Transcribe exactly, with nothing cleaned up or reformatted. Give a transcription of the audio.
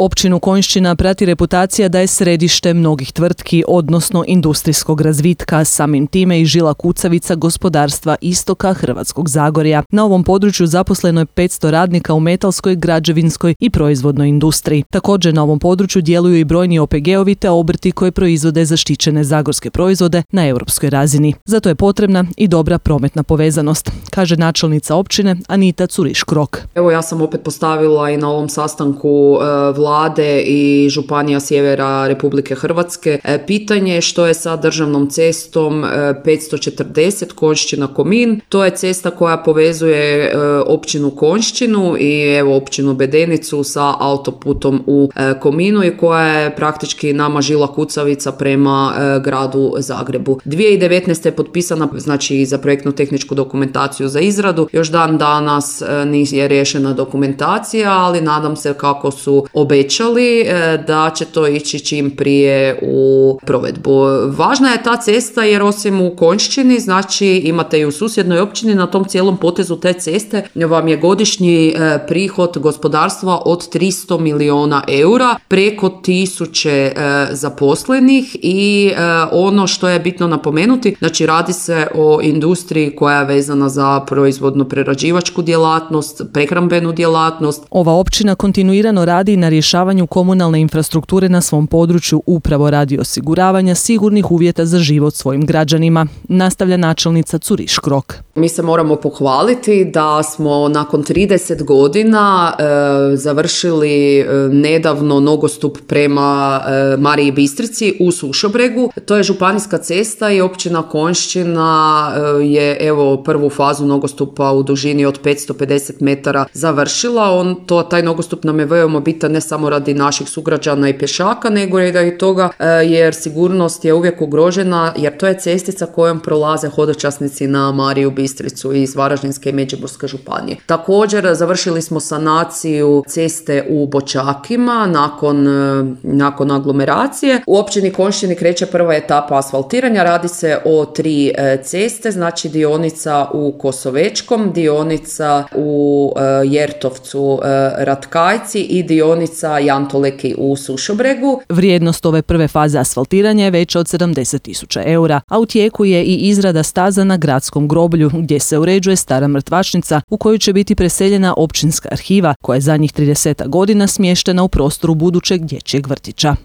Općinu Konjšćina prati reputacija da je središte mnogih tvrtki, odnosno industrijskog razvitka, samim time i žila kucavica gospodarstva istoka Hrvatskog Zagorja. Na ovom području zaposleno je petsto radnika u metalskoj, građevinskoj i proizvodnoj industriji. Također na ovom području djeluju i brojni O P G-ovi te obrti koji proizvode zaštićene zagorske proizvode na europskoj razini. Zato je potrebna i dobra prometna povezanost, kaže načelnica općine Anita Curiš-Krok. Evo, ja sam opet postavila i na ovom sastanku e, vlade i županija sjevera Republike Hrvatske e, pitanje što je sa državnom cestom e, petsto četrdeset Konjšćina-Komin. To je cesta koja povezuje e, općinu Konjšćinu i evo općinu Bedenicu sa autoputom u e, Kominu i koja je praktički nama žila kucavica prema e, gradu Zagrebu. dvije tisuće devetnaeste je potpisana, znači za projektnu tehničku dokumentaciju za izradu. Još dan danas e, nije riješena dokumentacija, ali nadam se kako su obećali e, da će to ići čim prije u provedbu. Važna je ta cesta jer osim u Konjšćini, znači imate i u susjednoj općini, na tom cijelom potezu te ceste vam je godišnji e, prihod gospodarstva od tristo milijuna eura, preko tisuće e, zaposlenih i e, ono što je bitno napomenuti, znači radi se o industriji koja je vezana za proizvodno-prerađivačku djelatnost, prehrambenu djelatnost. Ova općina kontinuirano radi na rješavanju komunalne infrastrukture na svom području upravo radi osiguravanja sigurnih uvjeta za život svojim građanima, nastavlja načelnica Curiš-Krok. Mi se moramo pohvaliti da smo nakon trideset godina e, završili e, nedavno nogostup prema e, Mariji Bistrici u Sušobregu. To je županijska cesta i općina Konjšćina e, je evo prvu fazu nogostupa u dužini od petsto pedeset metara završila. On, to, taj nogostup nam je veoma bitan ne samo radi naših sugrađana i pješaka, nego i radi toga e, jer sigurnost je uvijek ugrožena, jer to je cestica kojom prolaze hodočasnici na Mariju Bistricu iz Varaždinske i Međimurske županije. Također završili smo sanaciju ceste u Bočakima nakon, nakon aglomeracije. U općini Konjšćini kreće prva etapa asfaltiranja, radi se o tri ceste, znači dionica u Kosovečkom, dionica u Jertovcu Ratkajci i dionica Jantoleki u Sušobregu. Vrijednost ove prve faze asfaltiranja je veća od sedamdeset tisuća eura, a u tijeku je i izrada staza na gradskom groblju gdje se uređuje stara mrtvačnica u koju će biti preseljena općinska arhiva koja je zadnjih trideset godina smještena u prostoru budućeg dječjeg vrtića.